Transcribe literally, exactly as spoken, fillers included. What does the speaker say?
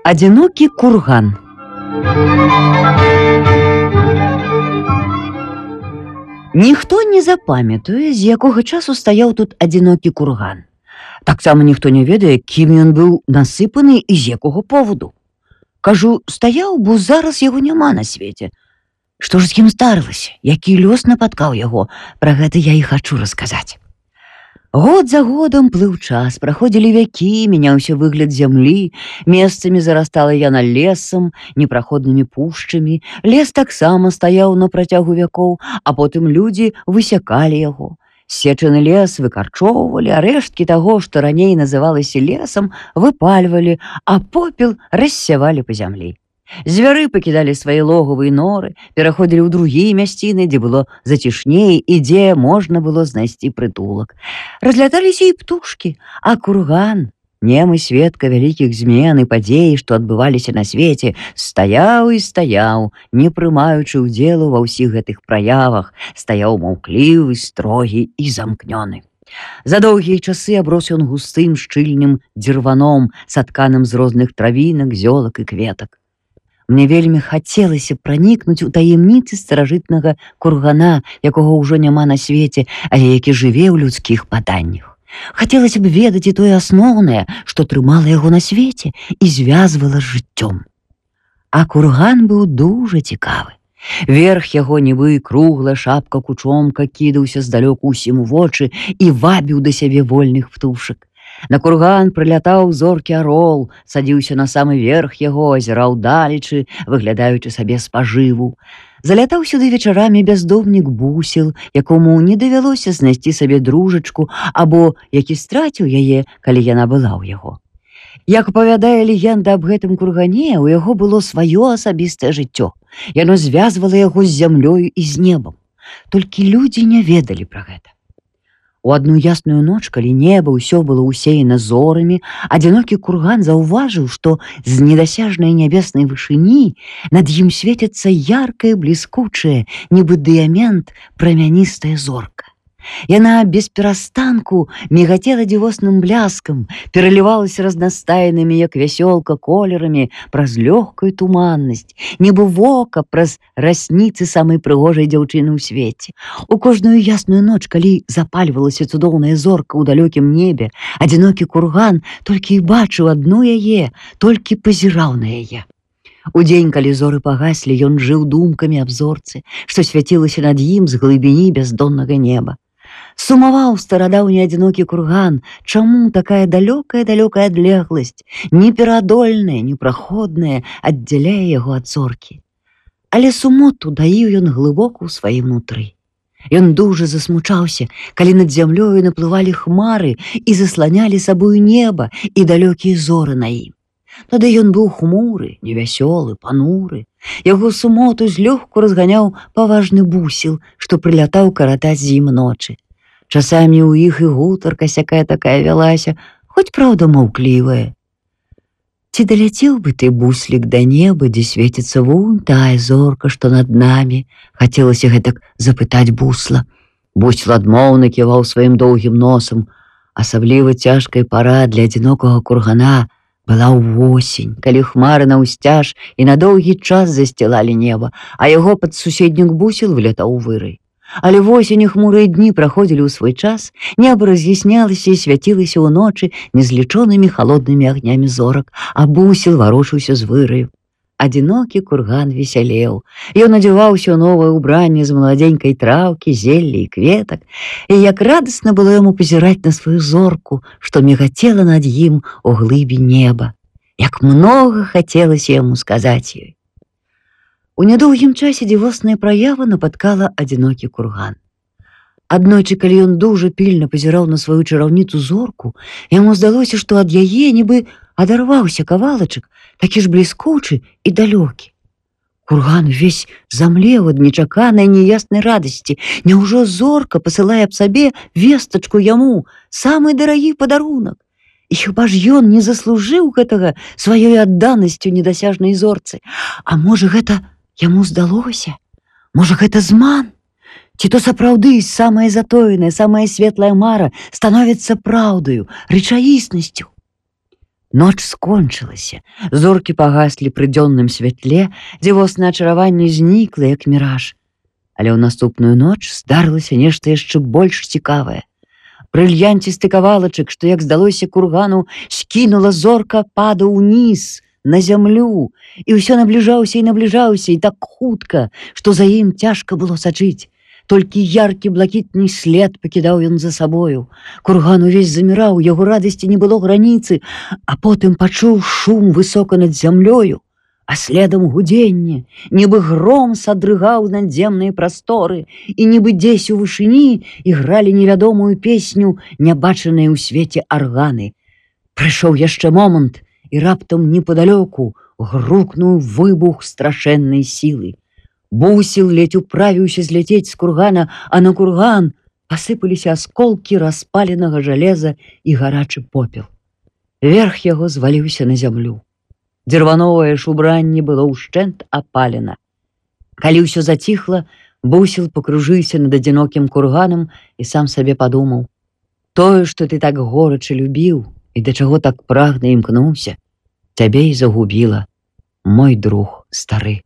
Адзінокі курган. Ніхто не запамятуе, з якога часу стаяў тут адзінокі курган. Таксама ніхто не ведае, кім ён быў насыпаны і з якога поводу. Кажу, стаяў, бо зараз яго няма на свеце. Што ж з ім здарылася? Які лёс напаткаў яго? Пра гэта я і хачу расказаць. Год за годам плыў час, праходзілі вякі, мяняўся выгляд зямлі, месцамі зарастала яна лесам, непраходнымі пушчамі, лес таксама стаяў на працягу вякоў, а потым людзі высякалі яго. Сечаны лес выкарчоўвалі, а рэшткі таго, што раней называлася лесам, выпальвалі, а попел рассявалі па зямлі. Звяры пакідалі свае логавы і норы, пераходзілі ў другія мясціны, дзе было зацішней і дзе можна было знайсці прытулак. Разляталіся і птушкі, а курган, немы сведка вялікіх змен і падзей, што адбываліся на свеце, стаяў і стаяў, не прымаючы ўдзелу ва ўсіх гэтых праявах, стаяў маўклівы, строгі і замкнёны. За доўгія часы аброс ён густым шчыльным дзірваном, сатканым з розных травінак, зёлак і кветак. Мне вельмі хацелася пранікнуць у таемніцы старажытнага кургана, якога ўжо няма на свеце, але які жыве ў людскіх паданнях. Хацелася б ведаць і тое асноўнае, што трымала яго на свеце і звязвала з жыццём. А курган быў дужа цікавы. Верх яго нібы круглая шапка кучомка кідаўся здалёку ўсім у вочы і вабіў да сябе вольных птушак. На курган прылятаў зоркі арол, садзіўся на самы верх яго, азіраў далечы, выглядаючы сабе спажыву. Залятаў сюды вечарамі бяздомнік бусел, якому не давялося знайсці сабе дружачку, або які страціў яе, калі яна была ў яго. Як апавядае легенда аб гэтым кургане, у яго было сваё асабістае жыццё. Яно звязвала яго з зямлёю і з небам. Толькі людзі не ведалі пра гэта. У адну ясную ноч, калі неба ўсё было ўсеяна зорамі, адзінокі курган заўважыў, што з недасяжнай нябеснай вышыні над ім свеціцца яркая, бліскучая, нібы дыямент, прамяністая зорка. Яна без перастанку мігацела дзівосным бляскам, пералівалася разнастайнымі, як вясёлка, колерамі праз лёгкую туманнасць, нібы вока праз расніцы самай прыгожай дзяўчыны ў свеце. У кожную ясную ноч, калі запальвалася цудоўная зорка ў далёкім небе, адзінокі курган толькі і бачыў адну яе, толькі пазіраў на яе. Удзень, калі зоры пагаслі, ён жыў думкамі аб зорцы, што свяцілася над ім з глыбіні бяздоннага неба. Сумаваў старадаўні адзінокі курган, чаму такая далёкая-далёкая адлегласць, непераадольная, непраходная, аддзяляе яго ад зоркі. Але сумоту даіў ён глыбока ў сваім нутры. Ён дужа засмучаўся, калі над зямлёю наплывалі хмары і засланялі сабою неба і далёкія зоры на ім. Тады ён быў хмуры, невясёлы, пануры. Яго сумоту злёгку разганяў паважны бусел, што прылятаў каратаць з ім ночы. Часамі ў іх і гутарка сякая такая вялася, хоць праўда маўклівая. Ці даляцеў бы ты, буслік, да неба, дзе свеціцца вунь тая зорка, што над намі? Хацелася гэтак запытаць бусла. Бусел адмоўна ківаў сваім доўгім носам. Асабліва цяжкая пара для адзінокага кургана была ўвосень, калі хмары наўсцяж і на доўгі час засцілалі неба, а яго пад суседнік бусел вылятаў вырай. Але восень і хмурыя дні праходзілі ў свой час, неба раз'яснялася і свяцілася ў ночы незлічонымі халоднымі агнямі зорак, а бусел варушыўся з выраю. Адзінокі курган весялеў. Ён адзяваўся ў новае ўбранне з маладзенькай траўкі, зелля і кветак, і як радасна было яму пазіраць на сваю зорку, што мігацела над ім у глыбі неба. Як многа хацелася яму сказаць ёй. У нядоўгім часе дзівосная праява напаткала адзінокі курган. Аднойчы, калі ён дужа пільна пазіраў на сваю чараўніцу зорку, яму здалося, што ад яе нібы адарваўся кавалачак, такі ж бліскучы і далёкі. Курган увесь замлеў ад нечаканай няяснай радасці. Няўжо зорка пасылае аб сабе вестачку яму, самы дарагі падарунак? І хіба ж ён не заслужыў гэтага сваёй адданасцю недасяжнай зорцы? А можа, гэта яму здалося? Можа, гэта зман? Ці то сапраўды самая затоеная, самая светлая мара становіцца праўдаю, рэчаіснасцю? Ноч скончылася, зоркі пагаслі пры дзённым святле, дзівоснае ачараванне знікла, як міраж. Але ў наступную ноч здарылася нешта яшчэ больш цікавае. Брыльянцісты кавалачак, што, як здалося кургану, скінула зорка, падаў уніз, на зямлю, і ўсё набліжаўся і набліжаўся, і так хутка, што за ім цяжка было сачыць. Толькі яркі блакітны след пакідаў ён за сабою. Курган увесь заміраў, яго радасці не было граніцы, а потым пачуў шум высока над зямлёю, а следам гудзенне, нібы гром садрыгаў надземныя прасторы, і нібы дзесь у вышыні ігралі невядомую песню, нябачаныя ў свеце арганы. Прыйшоў яшчэ момант, і раптам непадалёку грукнуў выбух страшэннай сілы. Бусел ледзь управіўся зляцець з кургана, а на курган пасыпаліся асколкі распаленага жалеза і гарачы попел. Верх яго зваліўся на зямлю. Дзірвановае ж убранне было ўшчэнт апалена. Калі ўсё заціхла, Бусел пакружыўся над адзінокім курганам і сам сабе падумаў: тое, што ты так горача любіў і да чаго так прагна імкнуўся, цябе і загубіла, мой друг стары.